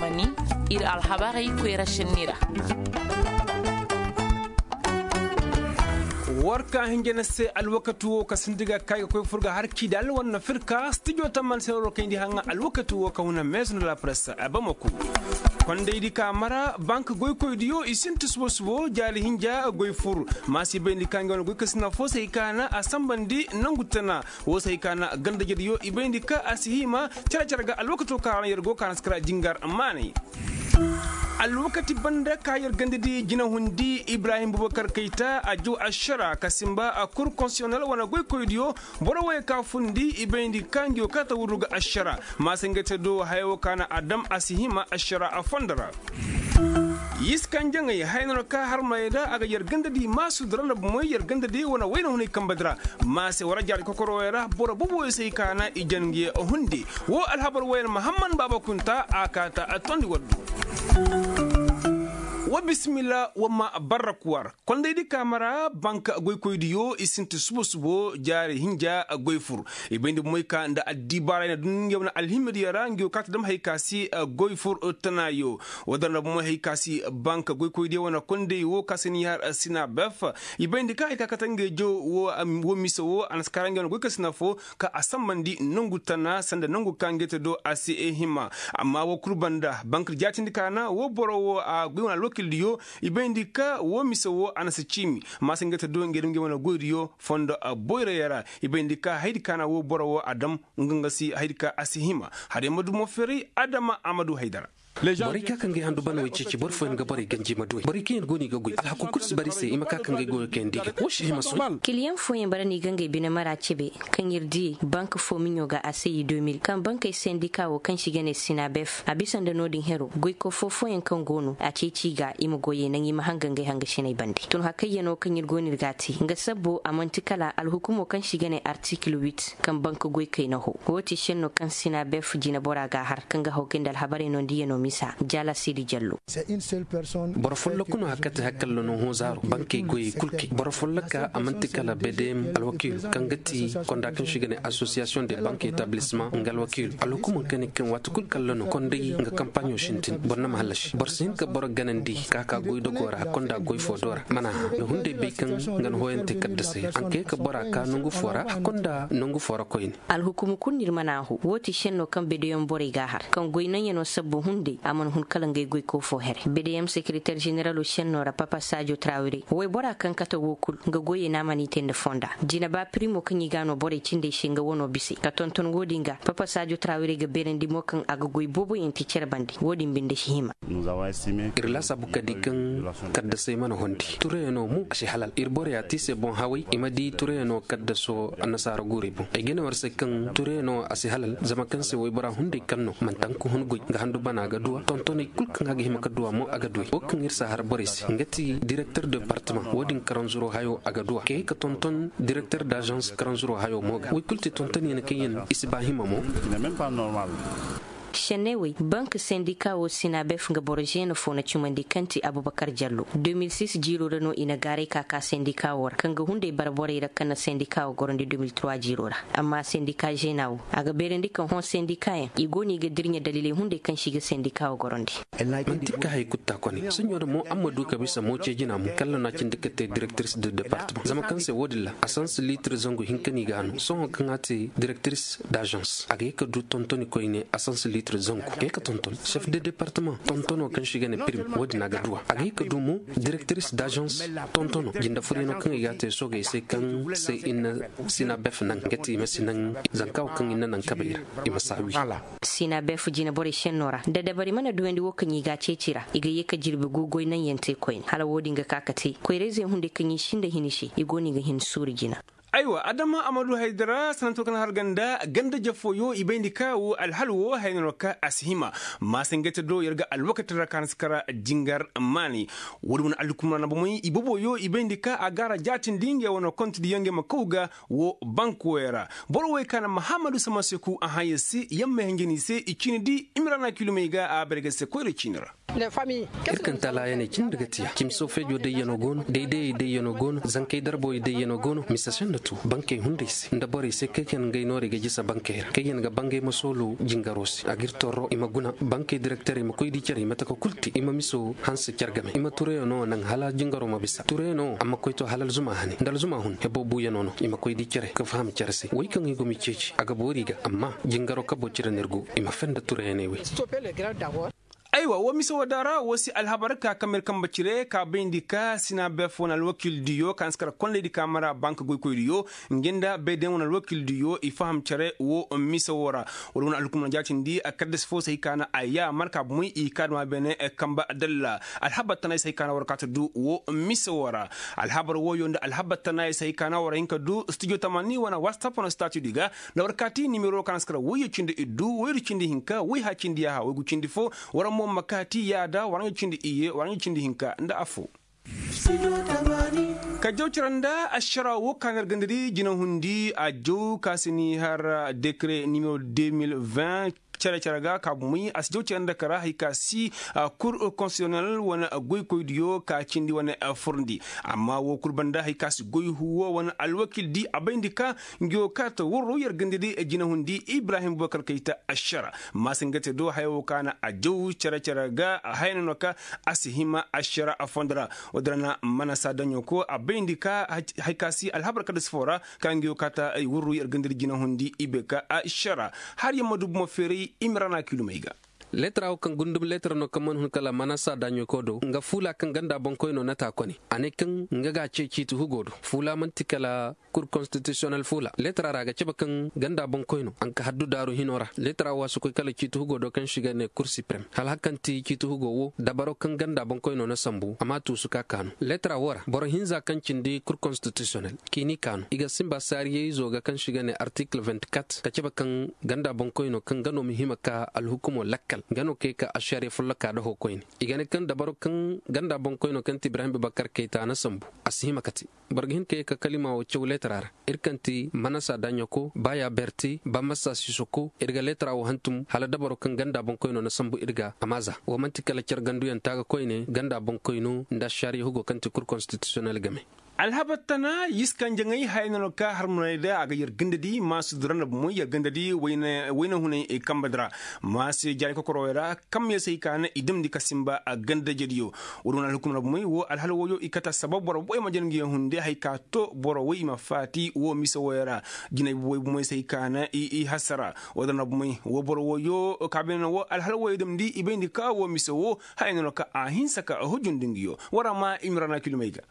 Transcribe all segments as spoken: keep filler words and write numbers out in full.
Mani ir alhabarey koyra senni ra. War ka hinja na se alwakati wo ka sinti ga kay ga koy fur ga har kidal wane firka stijo tamman se war kayndi haŋa alwakati wo ka huna meesu na la presse a bamako. Kondaydi ka mara bank goykoydiyo i sinti subo subo jaari hinja goy fur. Ma si bayndi ka ngi wane goy ka sina fo se hay ka na a sambandi nangu tana. Wo se hay ka na gandajediyo i bayndi ka a si hima care care ga alwakato ka ra yer go ka na si kara jingar maanay. Alwakati banda ka yer gandadi jinahundi ibrahim bubakar kayta a jaw ašara ka simba a kur konsiyonel wane goykoydiyo. Boro woy ka fundi i bayndi ka ngiyo ka ta wurru ga ašara. Ma se nga te do haya wo ka na a dam a si hima ašara a fondo ra. Yiskan jaŋay haya no ka harmay ra a ga yer gandadi maasu dara na bumoy yer gandadi wane wayna hunay kambadi ra. Ma se wara jaari kokoro woy ra boro bobo woy se hay ka na i jangiye hunde. Wo alhabar woy ra mahamman baaba kunta a kaata a tondi waddu. Wa bisimilla wa ma barraku war. Kondaydi kaama ra banka goykoydiyo i sinti subo subo jaari hinja goy fur. I bayndi bomoy ka nda addibaaray na dun nge wane alhimmidiyo ra ngiyo kaata dam hay ka si goy fur. Tanaayo wo dara nda bomoy hay ka si banka goykoydiyo wane konday wo ka se ni har sina bef. I bayndi ka hay ka kate nge jow wo mise wo a na si kara nge wane goy ka sina fo ka a sambandi nangu tana sanda nangu ka nge te do a si hima. Amma wo kul banda banka jaatindi ka na wo boro wo a goy wane alwakildiyo. I bayndi ka wo mise wo a na si ciimi. Maasa nga te do nga dum nga wane goydiyo fondo boyra yara. I bayndi ka haydi ka na wo boro wo a dam nga nga si haydi ka a si hima. Hare ma dumo feray adama a ma du haydara. Borey ka kaŋ ga ay handu ban way ceeci boro fooyaŋ ga borey ganji ma duwey borey kaŋ yaŋ go no i ga goy alhaku kul si bara i se i ma ka kaŋ ga ay goyo kayandi ga wo si hima sohõ. Kiliyaŋ fooyaŋ bara no i ga ngey bine mara cebe kaŋ ir diyey bank fo miɲo ga a se i deux mille kaŋ bankey sendika wo kaŋ se i ga ne sinabef a bisa nda no-din hero goyko foo-fooyaŋ kaŋ go no a ceeci i ga i ma goyey naŋ i ma hanga ngey hangasiney bande tun hakayyaŋo kaŋ ir go no ir ga a te nga sabbo a man'ti kala alhukumo kaŋ se i ga ne artikil wit kaŋ bank goykey na ho. Wo ti senno kaŋ sinabef jinabora ga a har kaŋ ga haw kay nda alhabarey no nda iyano misa jaala siidi jallo. Boro folloku no hakate hakalla no hõ zaaro bankey goyey kul kay boro folloka a man'ti kala bedem alwakiilu kaŋ ga ti konda kaŋ se i ga ne asosiyasiyoŋ de bank etablisma nga alwakiilu alhukumo kaŋ ne kaŋ waati kul kalla no konday nga kampaɲo sintin boro na ma hallasi boro si hin ka boro ganandi ka ka goydogo ra konda goy fo do ra mana ha nda hunday bay kaŋ nga na hooyante kaddasey ra a na kay ka bora ka nangu fo ra a konda nangu fo ra koyne. Alhukumu kul no ir mana a hoo wo ti senno kaŋ bedeyaŋ borey ga a har kaŋ goy naŋyaŋo sabbu hunday a mana hun kala ngey goyko fo here bedeyaŋ sekereter ženeralo senno ra papa saajo trawire waybora kaŋ kate wo kul nga goyey no a mana i te nda fonda jinaba pirimo kaŋ i ga a no borey cindey se nga wano bisey ka tonton wo-din ga papa saajo trawire ga beerandi mo kaŋ a ga goy booboyaŋ te cere bande wo-din binde si hima. Ir laasaabu ka di kaŋ kaddasey mana hondi turayaŋo mo a si halal ir boroya te i se boŋ haway i ma di turayaŋo kaddaso annasaara guurey boŋ ay ga ne war se kaŋ turayaŋo a si halal zama kaŋ se waybora hunday kaŋ no manti hanka hun goy nga handu bana ga duwa tontoney kul kaŋ a ga hima ka duwa mo a ga duwey wo kaŋ ir si a har borey se nga ti direkter departama wo-din karanzuro hayo a ga duwa kay ka tonton direkter dazans karanzuro hayo mo ga woy kul ti tontonyaŋ kaŋ yaŋ i si ba hima mo. Senney wey bank sendika wo sinabef nga boro zeena fo na cumandi kaŋ ti abubakar jallo deux mille six jiiro ra no i na gaaray ka ka sendika wo ra kaŋ ga hunday bara borey ra kaŋ na sendika wo gorandi deux mille trois jiiro ra. Amma sendika zeena wo a ga beerandi kaŋ hõ sendikayaŋ i go no i ga dirɲe daliley hunday kaŋ se i ga sendika wo gorandi. Manti ka hay kutta kone soɲo da mo amma du ka bisa mo ce jina mo kalla no a cindi ka te direktiris de departement zama kaŋ se wo-din ra a sansi liitir zangu hinka no i ga a no sohõ kaŋ a te direktiris dazans a ga ye ka du tontoni koyne a sansi liitir zangu a ga ye ka tonton sef de departement tontono kaŋ se i ga ne pirim wo-din a ga duwa a ga ye ka du mo direktiris dazans tontono jinde furyaŋo kaŋ i ga a te soogey se kaŋ se i na sina bef naŋ nga te i ma si naŋ zanka wo kaŋ i na naŋ kabey ra i ma saawi. Sina bef jine borey senno ra da dabari mana duwandi wo kaŋ i ga a ceeci ra i ga ye ka jirbi gu goy naŋyaŋ te koyne hala wo-din ga ka ka te koyrayzey hunday kaŋ i sinda hini se i go no i ga hin suuru jina. Aywa adama amadu haydara sanato kaŋ har ganda ganda jafooyo i bayndi ka wo alhal wo hayna no ka a si hima. Maasangayte do yer ga alwakati ra ka na si kara jingar maanay. Wo-din wane alhukumra na bomey i boboyo i bayndi ka a gaara jaatindi ngey wane kontidiyaŋ ngey ma kaw ga wo bank woyey ra. Boro woy ka na mahammadu samaseku a hã yer se yamma hinja no i se i ciini di imrana kilumey ga a bare ga se koyra ciini ra. Ir kaŋ talaayaney cindi ga tiya cimso feejo dayyanoo go no, daydayey dayyanoo go no, zankey darboyey dayyanoo go no. Mise senna tu bankey hunday se nda borey se kaŋ yaŋ ngay noorey ga jisa bankey ra kaŋ yaŋ ga bangay ma soolo jingaroo se a ga ir torro i ma guna bankey direkterey ma koy di cere i ma taka kul te i ma miso hanse care game i ma turayanoo naŋ hala jingaroo ma bisa turayanoo a ma koy to hala alzuma hane nda alzuma hun hebo buuyanoo no i ma koy di cere ka faham care se wey kaŋ i go ma i ceeci a ga boori ga amma jingaroo kaboo cire no ir go i ma fenda turayaney wey. Aywa woo mise woo daŋ ra woo si alhabar ka kamir kambe cire ka bayndi ka sina bef wane alwakildiyo ka hanse kala kondaydi ka mara bank goykoydiyo, nga nda baydayaŋ wane alwakildiyo i faham cere woo mise woo ra. Wala wane alhukumna jaatindi a kaddasi foo se hay ka na a yaamar ka bomoy i ka duma beene kambe adalla. Alhabar tana ay se hay ka na war ka ta du woo mise woo ra. Alhabar wooyo nda alhabar tana ay se hay ka na war hin ka du studio tamani wane whatsapp wane statudi ga. Nda war kaati nimero kaŋ a si kara woyyo cindi iddu woydu cindi hinka woy ha cindi yaaha woygu cindi fo. War mo ma kaati yaada war ɲa cindi iyye war ɲa cindi hinka nda afo. Ka jaw cira nda ašara wo kaŋ a na ir ganda di jinahundi a jaw ka si ni har dekre nimero deux mille vingt. Cere cere ga ka bumey a si jaw cere nda kara hari ka si kur konstitisyonel wane goykoydiyo ka cindi wane furndi. Amma wo kul banda hari ka si goy huwo wane alwakil di a bayndi ka ngi wo ka ta warro yer ganda di jinahundi ibrahim bubakar kayta ašara. Maasi nga te do haya wo ka na a jaw cere cere ga haya no no ka a si hima ašara a fondo ra. Wo- din ra na mana sa daɲo ko a bayndi ka hari ka si alhabar kada si fo ra ka ngi wo ka ta ay warro yer ganda di jinahundi i bay ka ašara. Har yer ma du bumo feeray i ma ra na kilumey ga. Leetara wo kaŋ gundum leetara no kaŋ mana hun kala manasa daɲo ko do nga fuula kaŋ ganda boŋkoyno na ta kone. A ne kaŋ nga ga a ce ciiti hugo do fuula man'ti kala kur konstitisiyonel fuula leetara ra a ga cabe kaŋ ganda boŋkoyno a nga ka haddu daaru hino ra leetara wo a si koy kala ciiti hugo do kaŋ se i ga ne kur siprem hala hari kaŋ ti ciiti hugo wo dabaro kaŋ ganda boŋkoyno na sambu a m'a tuusu ka kaanu leetara wo ra boro hinza kaŋ cindi kur konstitisiyonel k'i n'i kaanu i ga sinba saariyey izo ga kaŋ se i ga ne artikil vingt-quatre ka cabe kaŋ ganda boŋkoyno kaŋ nga no ma hima ka alhukumo lakkal nga no kay ka ašariya folloka da hoo koyne. I ga ne kaŋ dabaro kaŋ ganda boŋkoyno kaŋ ti ibrahim bubakar kayta na sambu a si hima ka te. Boro ga hin ka ye ka kalima wo caw leetara ra. Ir kaŋ ti manasa daɲoko baya berti ba masa sisoko ir ga leetara wo hantum hala dabaro kaŋ ganda boŋkoyno na sambu ir ga a ma za wo man'ti kala care ganduyaŋ taaga koyne ganda boŋkoyno nda ašariya hugo kaŋ ti kur konstitisiyonel game. Alhabar tana yiskanjaŋey haya no no ka harmunay da a ga yer ganda di maasudura nda bumoy yer ganda di wayna hunay kambe di ra. Maasi jaari kokorowey ra kaŋ ma ye se hay ka na i damndi ka sinba a ganda jediyo. Wo- din wane alhukum ra bumoy wo alhala woyo i kate assabab boro boy ma jana ngi yaŋ hunde hay ka to boro woy i ma faati wo mise woyo ra. Jinay boy bumoy se hay ka na i hasara. Wo- din ra bumoy wo boro woyo ka beene no wo alhala woyo damndi i bayndi ka wo mise wo haya no no ka a hinsa ka a hujundi ngi yo. War a ma i ma ra na kilumey ga.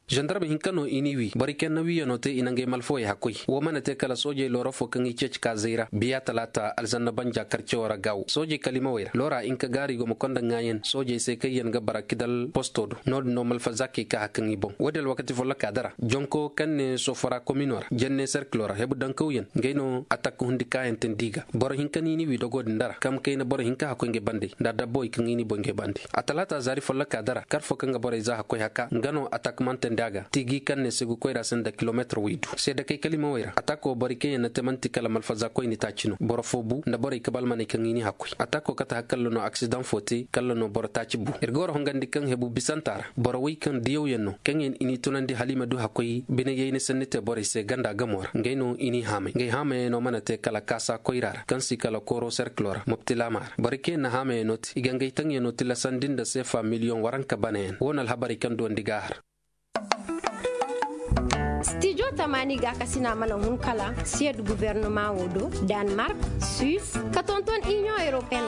Zandarma hinka no i n'i wi borey kaŋ na wiyanoo te i na ngey malfawey hakkoy. Wo mana te kala soojey loora fo kaŋ i ceeci ka zayra biya talaata alzanna banja karcewo ra gaawo soojey kalimawey ra loora hinka gaari go ma konda ŋaayan soojey se kaŋ yaŋ ga bara kidal posto do. No- din no malfa zaakey ka har kaŋ i boŋ wo- din alwakati follokaa dara jonko kaŋ ne sofora komino ra jenne serkilo ra hebu dankawyaŋ ngey no atak hundi kaayantandi i ga. Boro hinka no i n'i wi dogo din dara kaŋ kayna boro hinka hakkoy ngey bandey nda dabbawey kaŋ i n'i boŋ ngey bande. A talaata zaari follokaa dara kar fo kaŋ ga borey za hakkoy haka nga no atak mantandi a ga tiigi kaŋ ne segu koyra se nda kilomeetir waydu seedakey kalimawey ra atako borey kaŋ yaŋ na te man'ti kala malfaza koyni taaci no boro fo bu nda borey kabalmaney kaŋ i n'i hakkoy atako kate har kalla no aksidaŋ fo te kalla no boro taaci bu ir ga war hongandi kaŋ hebu bisanta ra boro wey kaŋ diyawyaŋ no kaŋ yaŋ i n'i tunandi hala i ma du hakkoy bine yayni sanni te borey se ganda gamo ra ngey no i n'i haamay ngey haamayey no mana te kala kaasa koyra ra kaŋ si kala kooro serkilo ra moptilaama ra borey kaŋ yaŋ na haamayey no te i ga ngey taŋyaŋo tilasandi nda seefa miliyoŋ waranka banayaŋ wo no alhabarey kaŋ duwandi ga a har. Stijo tamaani gaakasina mana hun kala siyed gubernumaŋo do danmark, suis ka tonton iniyoŋ europeyen.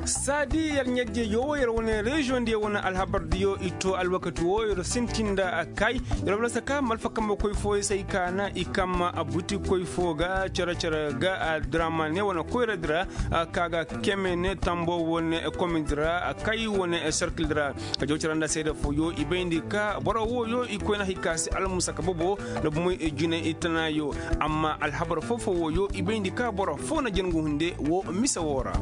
Saadi yer ɲajjeejo wo yer wane reziyoŋ diyo wane alhabar diyo i to alwakati wo yer sintin nda a kay. Yer wala saka malfa kambe koy fooyo se ay kaana i kamma buti koy foo ga cere cere ga a diraama ne wane koyra dira. Ka ga keme ne tambo wane komin dira a kay wane serkil dira. Ka jaw cere nda seede fooyo i bayndi ka boro wooyo i koyna hay ka se almusaka bobo nda bumoy jine i tanayo. Amma alhabar foo foo wooyo i bayndi ka boro foo na jangu hunde wo mise woo ra.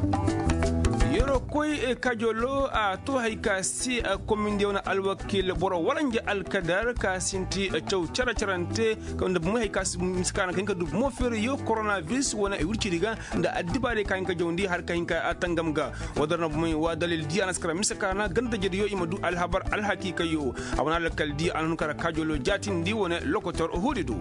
Koy kajolo a to hay ka si komindiyaw na alwakiil boro waranja alkadar ka sinti caw cere-cerante, nda bumey hay ka si mise ka na ka hin ka du bumo feeriyo koronabiris wane ay wircidi ga nda addibaarey ka hin ka jawndi har ka hin ka tangam ga. Wadar na bumey wa dalil di a na si kara mise ka na ganda jediyo i ma du alhabar alhakiikayyo. A wane alkal di a na hun kara kajolo jaatindi wane lokotor hudi du.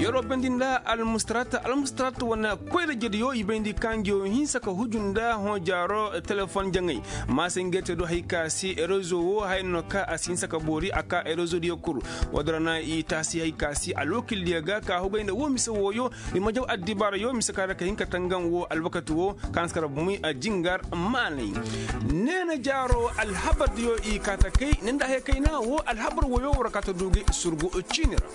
Yeroo bayndi nda almustarat almustarat wane koyra jediyo i bayndi ka ngiyo hinsa ka huju nda hõ jaaro telefon jaŋay. Maasa ngey te do hay ka si rezo wo haya no ka a si hinsa ka boori a ka rezo diyo kul. Wadara na i taasi hay ka si alwakil diyo ga ka hugay nda wo mise wooyo. I ma jaw addibaara yo mise ka ra ka hin ka tangaŋ wo alwakati wo ka na si kara bumey jingar maanay. Neena jaaro alhabar diyo i kaa ta kay ni nda haya kayna wo alhabar wooyo war kaa ta du ga i surgu ciini ra.